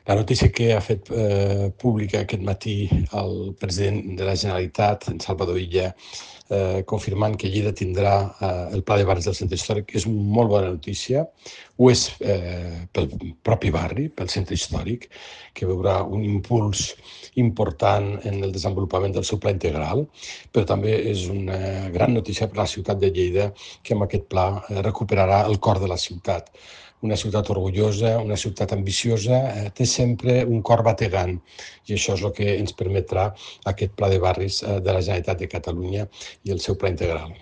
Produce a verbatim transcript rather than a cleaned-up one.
La notícia que ha fet eh, pública aquest matí el president de la Generalitat, en Salvador Illa, eh, confirmant que Lleida tindrà eh, el pla de barris del centre històric, és una molt bona notícia. Ho és eh, pel propi barri, pel centre històric, que veurà un impuls important en el desenvolupament del seu pla integral, però també és una gran notícia per a la ciutat de Lleida, que amb aquest pla eh, recuperarà el cor de la ciutat. Una ciutat orgullosa, una ciutat ambiciosa, eh, té sempre un cor bategant, i això és el que ens permetrà aquest pla de barris eh, de la Generalitat de Catalunya i el seu pla integral.